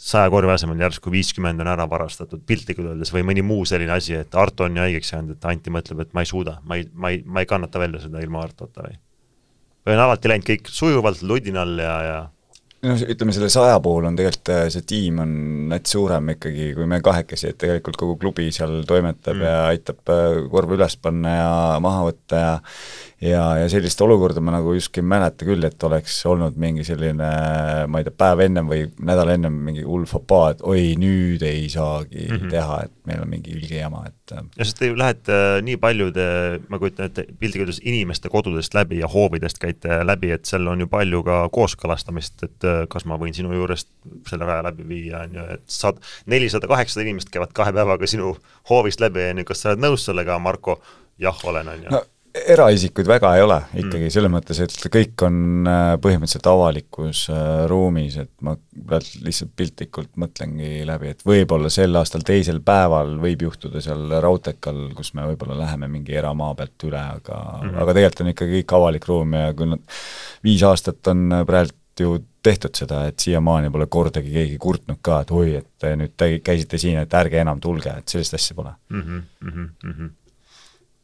100 korvi asemel järsku 50 on ära varastatud piltlikult öeldes või mõni muu selline asi, et Arto on ju haigeks jäänud, et Anti mõtleb, et ma ei suuda, ma ei kannata välja seda ilma Artota või on alati läinud kõik sujuvalt ludinal ja no ütleme, selle 100 puhul on tegelikult see tiim on näit suurem ikkagi, kui me kahekesi, et tegelikult kogu klubi seal toimetab ja aitab korvi üles panna ja maha võtta ja sellist olukorda ma nagu just ei mäleta küll, et oleks olnud mingi selline, ma ei tea, päev ennem või nädal ennem mingi hull fopaa, et oi, nüüd ei saagi teha, et meil on mingi ülge jama, et ja sest te lähete nii paljude, ma kujutan, et piltlikult inimeste kodudest läbi ja hoovidest käite läbi, et seal on ju palju ka kooskõlastamist, et kas ma võin sinu juurest selle raja läbi viia, et 400-800 inimest käivad 2 päevaga sinu hoovist läbi, kas sa oled nõus sellega, Marko? Jah, olen. No, eraisikuid väga ei ole ikkagi, selles mõttes, et kõik on põhimõtteliselt avalikus ruumis, et ma lihtsalt piltlikult mõtlengi läbi, et võib-olla sel aastal teisel päeval võib juhtuda seal Rautekal, kus me võib-olla läheme mingi eramaa pealt üle, aga tegelikult on ikkagi kõik avalik ruum ja kui nad 5 aastat on praegu ju tehtud seda, et siiamaani pole kordagi keegi kurtnud ka, et oi, et nüüd käisite siin, et ärge enam tulge, et sellist asja pole.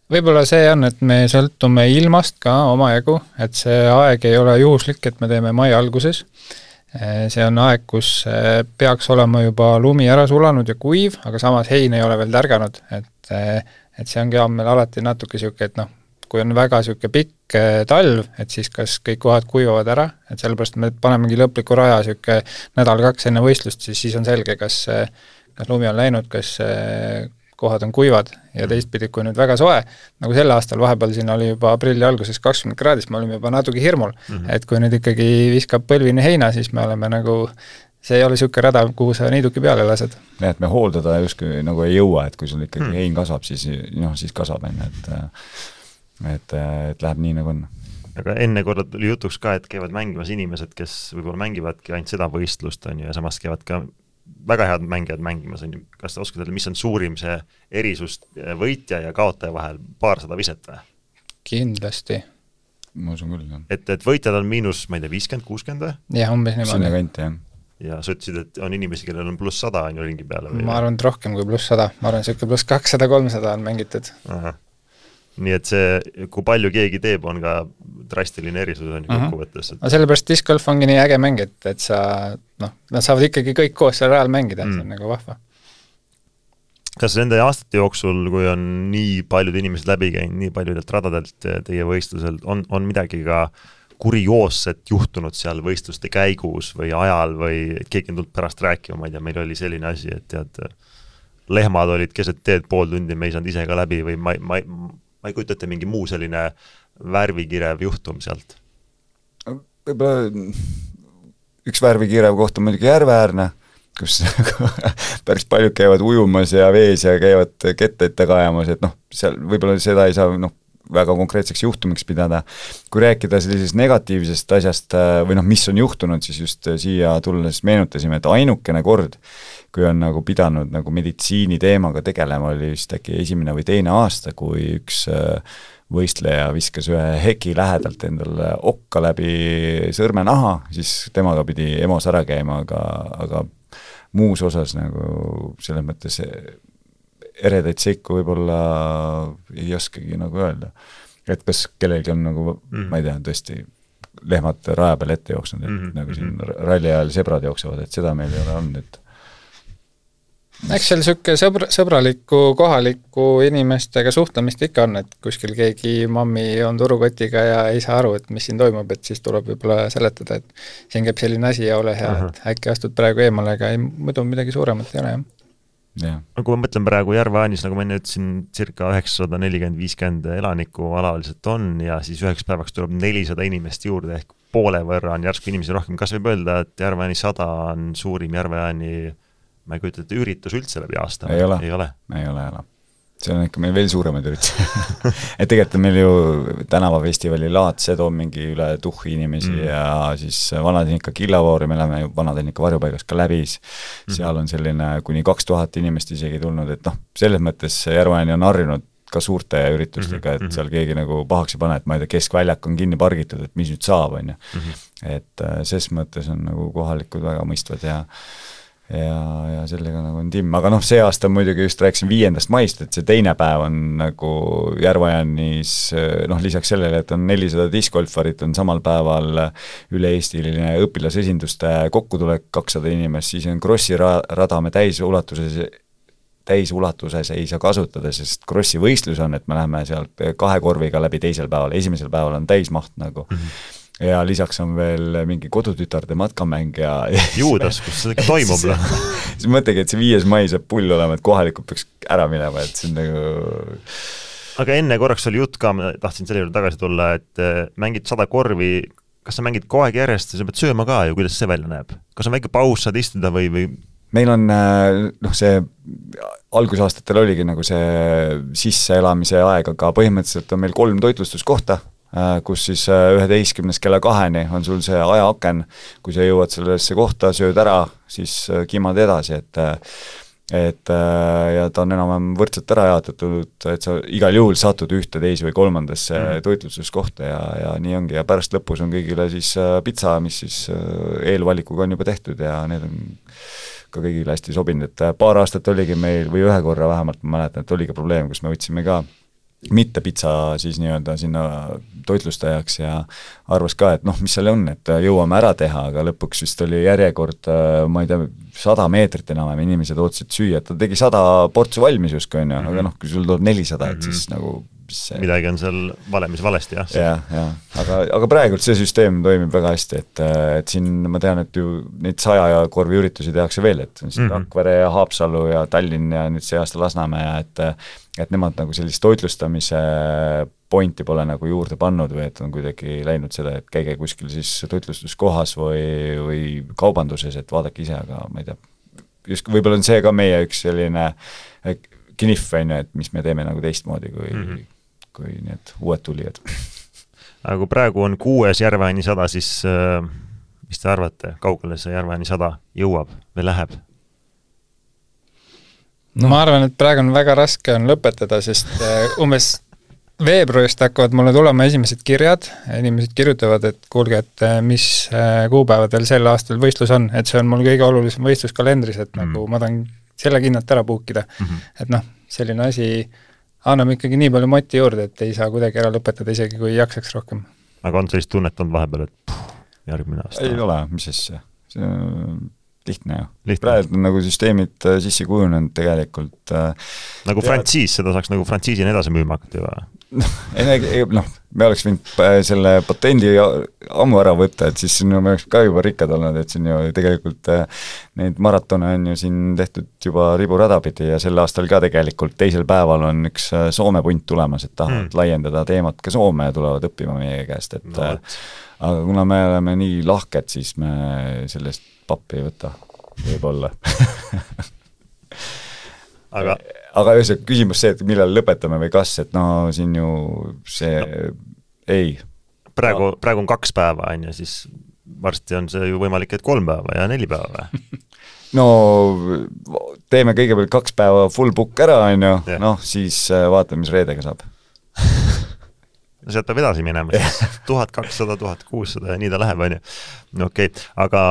Võib-olla see on, et me sõltume ilmast ka omajagu, et see aeg ei ole juhuslik, et me teeme mai alguses. See on aeg, kus peaks olema juba lumi ära sulanud ja kuiv, aga samas hein ei ole veel tärganud, et see ongi meil alati natuke siuke, et noh, kui on väga siuke pikk talv, et siis kas kõik kohad kuivavad ära, et sellepärast me panemegi lõpliku raja siuke nädal-2 enne võistlust, siis on selge, kas lumi on läinud, kas kohad on kuivad ja teistpidi, kui nüüd väga soe, nagu selle aastal vahepeal siin oli juba aprilli alguses 20 kraadist, me olime juba natuke hirmul, et kui nüüd ikkagi viskab põlvini heina, siis me oleme nagu, see ei ole siuke rada, kuhu sa niiduki peale lased. Ja, et me hooldada justkui nagu ei jõua, et kui sul ikkagi hein kasvab, siis kasvab enne, et läheb nii nagu on. Aga enne korda tuli jutuks ka, et käivad mängimas inimesed, kes võib-olla mängivadki ainult seda võistlust, ja samas käivad ka väga head mängijad mängimas, kas te oskate, mis on suurim see erisus võitja ja kaotaja vahel, 200 viset või? Kindlasti. Ma usun küll, jah. Et võitjad on miinus, ma ei tea, 50-60 või? Jah, umbes niimoodi. Sinna kanti, jah. Ja sa ütlesid, et on inimesi, kellel on pluss 100 on ju ringi peale või? Ma arvan, et rohkem kui pluss 100. Ma arvan, et pluss 200-300 on mängitud. Aha. Nii et see, kui palju keegi teeb, on ka drastiline erisus on ju kokkuvõttes. No sellepärast discgolf ongi nii äge mäng, et sa, nad saavad ikkagi kõik koos seal rajal mängida, see on nagu vahva. Kas nende aastate jooksul, kui on nii paljud inimesed läbi käinud, nii paljudelt radadelt teie võistlusel, on midagi ka kurioosset juhtunud seal võistluste käigus või ajal või keegi on tulnud pärast rääkima, ma ei tea, meil oli selline asi, et tead, lehmad olid keset teed pool tundi, me ei saanud ise ka läbi või ma ei kujutate mingi muu selline värvikirev juhtum sealt? Võib-olla üks värvikirev koht on muidugi Järveäärne, kus päris paljud käivad ujumas ja vees ja käivad ketteid taga ajamas, et seal võib-olla seda ei saa väga konkreetseks juhtumiks pidada. Kui rääkida sellisest negatiivsest asjast või mis on juhtunud, siis just siia tulles meenutasime, et ainukene kord, kui on nagu pidanud nagu meditsiini teemaga tegelema, oli vist äkki 1. või 2. aasta, kui üks võistleja viskas ühe heki lähedalt endale okka läbi sõrmenaha, siis temaga pidi EMO-s ära käima, aga muus osas nagu selles mõttes eredaid seiku võib-olla ei oskagi nagu öelda. et kas kellelgi on nagu, ma ei tea, tõesti lehmad raja peal ette jooksnud, et nagu siin ralli ajal sebrad jooksevad, et seda meil ei ole olnud, et eks seal siuke sõbraliku kohaliku inimestega suhtlemist ikka on, et kuskil keegi mammi on turukotiga ja ei saa aru, et mis siin toimub, et siis tuleb võib-olla seletada, et siin käib selline asi ja ole hea, et äkki astud praegu eemale, aga muidu midagi suuremat ei ole, jah. Kui ma mõtlen praegu Järva-Aanis, nagu ma enne ütlesin, circa 940-50 elanikku alaliselt on ja siis üheks päevaks tuleb 400 inimest juurde ehk poole võrra on järsku inimesi rohkem. Kas võib öelda, et Järva-Aani 100 on suurim Järva-Aani, ma ei kujuta, et üritus üldse läbi aasta? Ei ole. See on ikka meil veel suuremad üritused. Et tegelikult on meil ju tänavafestivali laad, see toob mingi üle 1000 inimesi ja siis Vanatehnika Killavoori, me oleme ju Vanatehnika varjupaigas ka läbi, seal on selline kuni 2000 inimest isegi tulnud, et noh, selles mõttes Järva-Aani on harjunud ka suurte üritustega, et seal keegi nagu pahaks ei pane, et ma ei tea, keskväljak on kinni pargitud, et mis nüüd saab, on ju. Et ses mõttes on nagu kohalikud väga mõistvad ja sellega nagu on timm, aga noh, see aasta muidugi just rääkisin 5. maist, et see teine päev on nagu Järva-Aanis, noh, lisaks sellele, et on 400 discgolfarit, on samal päeval üle-eestiline õpilasesinduste kokkutulek 200 inimest, siis on Krossi rada me täisulatuses ei saa kasutada, sest Krossi võistlus on, et me läheme sealt 2 korviga läbi teisel päeval, esimesel päeval on täismaht nagu. Ja lisaks on veel mingi kodutütarde matkamäng ja Juudas, kus see toimub? Siis mõtlegi, et see 5. mai saab pull olema, et kohalikud peaks ära minema, et see on nagu... Aga enne korraks oli jutt ka, ma tahtsin selle juurde tagasi tulla, et mängid 100 korvi, kas sa mängid kogu aeg järjest ja sa pead sööma ka ja kuidas see välja näeb? Kas on väike paus, saad istuda või? Meil on, noh, see algusaastatel oligi nagu see sisseelamise aeg, aga põhimõtteliselt on meil 3 toitlustuskohta, kus siis 11 kella 2-ni on sul see ajaaken, kui sa jõuad sellesse kohta, sööd ära, siis kimad edasi, et ja ta on enam võrdselt ära jaotatud, et sa igal juhul satud ühte, teise või kolmandasse toitlustuskohta ja nii ongi, ja pärast lõpus on kõigile siis pitsa, mis siis eelvalikuga on juba tehtud ja need on ka kõigile hästi sobinud, et paar aastat oligi meil, või ühe korra vähemalt ma mäletan, et oligi probleem, kus me võtsime ka mitte pitsa siis nii-öelda sinna toitlustajaks ja arvas ka, et noh, mis seal on, et jõuame ära teha, aga lõpuks vist oli järjekord, ma ei tea, 100 meetrit enam inimesed ootasid süüa, ta tegi 100 portsu valmis justkui on ju, aga noh, kui sul tuleb 400, et siis nagu see... midagi on seal valemis valesti, jah. Ja. Aga praegult see süsteem toimib väga hästi, et siin ma tean, et ju neid 100 korvi üritusi tehakse veel, et on siin Rakvere ja Haapsalu ja Tallinn ja nüüd see aasta Lasnamäe ja et nemad nagu sellist toitlustamise pointi pole nagu juurde pannud või et on kuidagi läinud seda, et käige kuskil siis toitlustuskohas või kaubanduses, et vaadake ise, aga ma ei tea, just võib-olla on see ka meie üks selline kinif, et mis me teeme nagu teistmoodi kui need uued tulijad. Aga kui praegu on 6. Järva-Aani 100, siis mis te arvate, kaugele see Järva-Aani 100 jõuab või läheb? No. Ma arvan, et praegu on väga raske on lõpetada, sest umbes veebruarist hakkavad mulle tulema esimesed kirjad, inimesed kirjutavad, et kuulge, et mis kuupäevadel sel aastal võistlus on, et see on mul kõige olulisem võistluskalendris, et nagu ma tahan selle kinnalt ära puukida. Et noh, selline asi annab ikkagi nii palju moti juurde, et ei saa kuidagi ära lõpetada, isegi kui jaksaks rohkem. Aga on sellist tunnet olnud vahepeal, et järgmine aasta? Ei ole, mis asja. See on lihtne ju. Praegu on nagu süsteemid sissi kujunenud tegelikult. Nagu frantsiis, seda saaks nagu frantsiisina edasi müüma hakata juba? Noh, me oleks võinud selle patendi ammu ära võtta, et siis me oleks ka juba rikkad olnud, et siin ju tegelikult neid maratone on ju siin tehtud juba riburada pidi ja sel aastal ka tegelikult teisel päeval on üks Soome punt tulemas, et tahavad laiendada teemat ka Soome ja tulevad õppima meie käest, et aga kuna me oleme nii lahked, siis me sellest pappi ei võta, võib-olla. Aga ühesõnaga küsimus see, et millal lõpetame või kas, et no siin ju see ei. Praegu on 2 päeva, on ja siis varsti on see ju võimalik, et 3 päeva ja 4 päeva. No teeme kõigepealt 2 päeva full book ära, on ju, noh siis vaatame, mis reedega saab. No sealt peab edasi minema, siis 1200, 1600 ja nii ta läheb, on ju. Okei, aga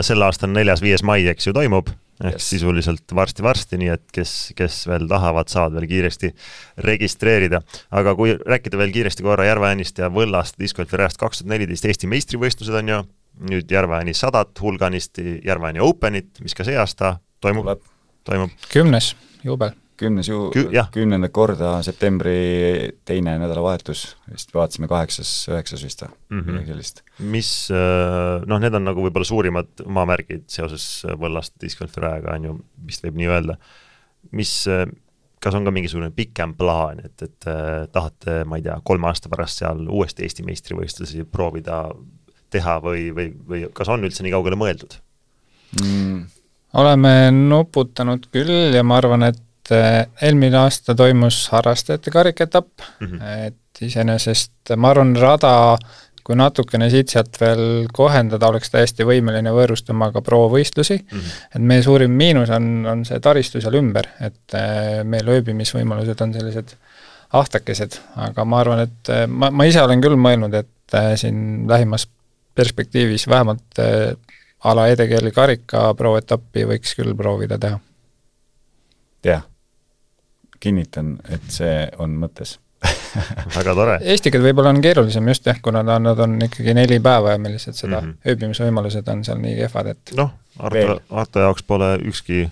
sel aastal 4.–5. mai, eks ju, toimub ehk sisuliselt varsti, nii et kes veel tahavad, saavad veel kiiresti registreerida. Aga kui rääkida veel kiiresti korra Järve-Äänist ja Võllast discgolfi rajast 2014 Eesti meistrivõistlused on ju, nüüd Järve-Ääni 100 hulganisti Järve-Ääni Openit, mis ka see aasta toimub. 10. juubel. 10. korda septembri teine nädalavahetus, vist vaatasime 8-9 vist sellist. Mis, need on nagu võib-olla suurimad maamärgid seoses Võllast discgolfi rajaga on ju, vist võib nii öelda. Kas on ka mingisugune pikem plaan, et tahate, ma ei tea, 3 aasta pärast seal uuesti Eesti meistrivõistlusi proovida teha või kas on üldse nii kaugele mõeldud? Oleme nuputanud küll ja ma arvan, et eelmine aasta toimus harrastajate kariketapp, et iseenesest ma arvan rada, kui natukene siit-sealt veel kohendada, oleks täiesti võimeline võõrustama ka pro-võistlusi, et meie suurim miinus on see taristu seal ümber, et meil ööbimisvõimalused on sellised ahtakesed, aga ma arvan, et ma ise olen küll mõelnud, et siin lähimas perspektiivis vähemalt ala EDGL karika pro-etappi võiks küll proovida teha. Jah, kinnitan, et see on mõttes. Väga tore. Eestikad võib-olla on keerulisem just kuna nad on ikkagi 4 päeva ja millised seda ööbimisvõimalused on seal nii kehvad, et Arto jaoks pole ükski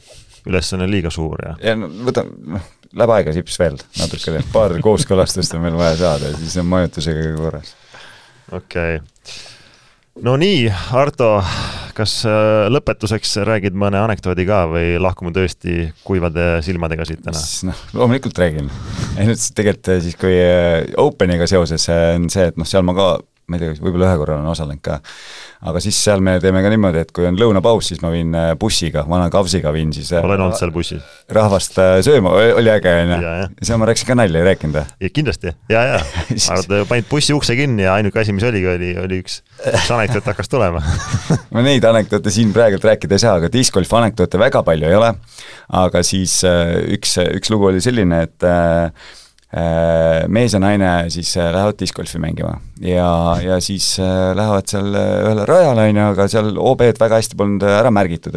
ülesanne liiga suur. Ja läheb aega sips veel natukene, paar kooskõlastust on meil vaja saada ja siis on majutusega korras. Okei. No nii, Arto, kas lõpetuseks räägid mõne anekdoodi ka või lahkume tõesti kuivade silmadega siit täna? Loomulikult räägin. Tegelikult siis, kui Openiga seoses on see, et seal ma ka, ma ei tea, võib-olla ühe korra on osalenud ka, aga siis seal me teeme ka niimoodi, et kui on lõunapaus, siis ma viin bussiga, vana kavsiga viin siis olen olnud seal bussis. Rahvast sööma, oli äge, seal ma rääkisin ka nalja, ei rääkinud. Ja kindlasti, Arvad, panid bussi ukse kinni ja ainuke asi, mis oli üks anekdoot hakkas tulema. Ma neid anekdoote siin praegult rääkida ei saa, aga discgolfi anekdoote väga palju ei ole, aga siis üks lugu oli selline, et mees ja naine siis lähevad discgolfi mängima ja siis lähevad seal ühele rajale, aga seal OB-d väga hästi polnud ära märgitud,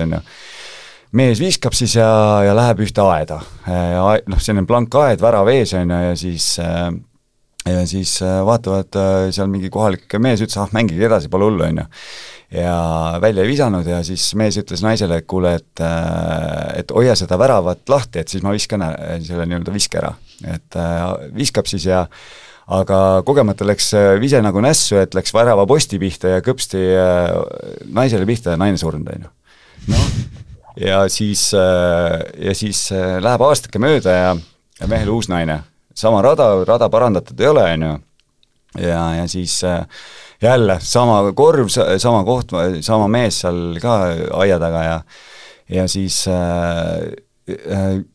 mees viskab siis ja läheb ühte aeda, selline blank aed, värav ees, ja siis vaatavad seal mingi kohalik mees ütles, mängige edasi, pole hullu, ja välja ei visanud ja siis mees ütles naisele, et kuule, et hoia seda väravat lahti, et siis ma viskan selle nii-öelda viske ära, et viskab siis aga kogemata läks vise nagu nässu, et läks värava posti pihta ja kõpsti naisele pihta ja naine surnud, ja siis läheb aastake mööda ja mehel uus naine, sama rada parandatud ei ole, ja siis jälle sama korv, sama koht, sama mees seal ka aia taga ja siis ja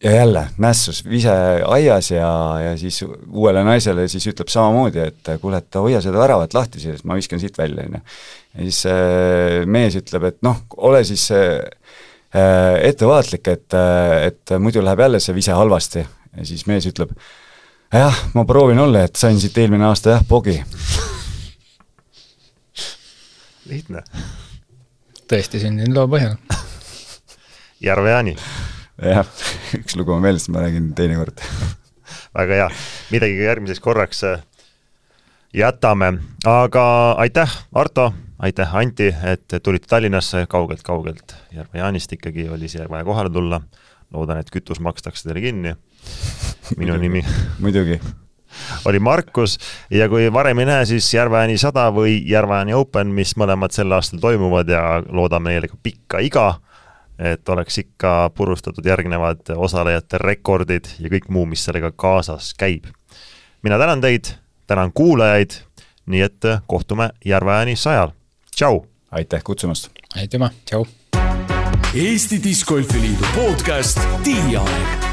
jälle nässus vise aias ja siis uuele naisele siis ütleb samamoodi, et kuule, et hoia seda väravat lahti, siis ma viskan siit välja. Ja siis mees ütleb, et ole siis ettevaatlik, et muidu läheb jälle see vise halvasti. Ja siis mees ütleb, jah, ma proovin olla, et sain siit eelmine aasta pogi. Lihtne. Tõesti sündin loo põhjal. Järve-Ääni. Jah, üks lugu on veel, siis ma räägin teine kord. Väga hea. Midagi järgmiseks korraks jätame. Aga aitäh, Arto, aitäh, Anti, et tulite Tallinnasse kaugelt Järve-Äänist ikkagi oli siia vaja kohale tulla. Loodan, et kütus makstakse teile kinni. Minu nimi muidugi oli Markus ja kui varem ei näe, siis Järve-Ääni 100 või Järve-Ääni Open, mis mõlemad sel aastal toimuvad ja loodame neile ka pikka iga, et oleks ikka purustatud järgnevad osalejate rekordid ja kõik muu, mis sellega kaasas käib. Mina tänan teid, tänan kuulajaid, nii et kohtume Järve-Ääni 100. Tšau! Aitäh kutsumast! Aitüma, tšau! Eesti Discgolfi Liidu podcast Tiiaeg.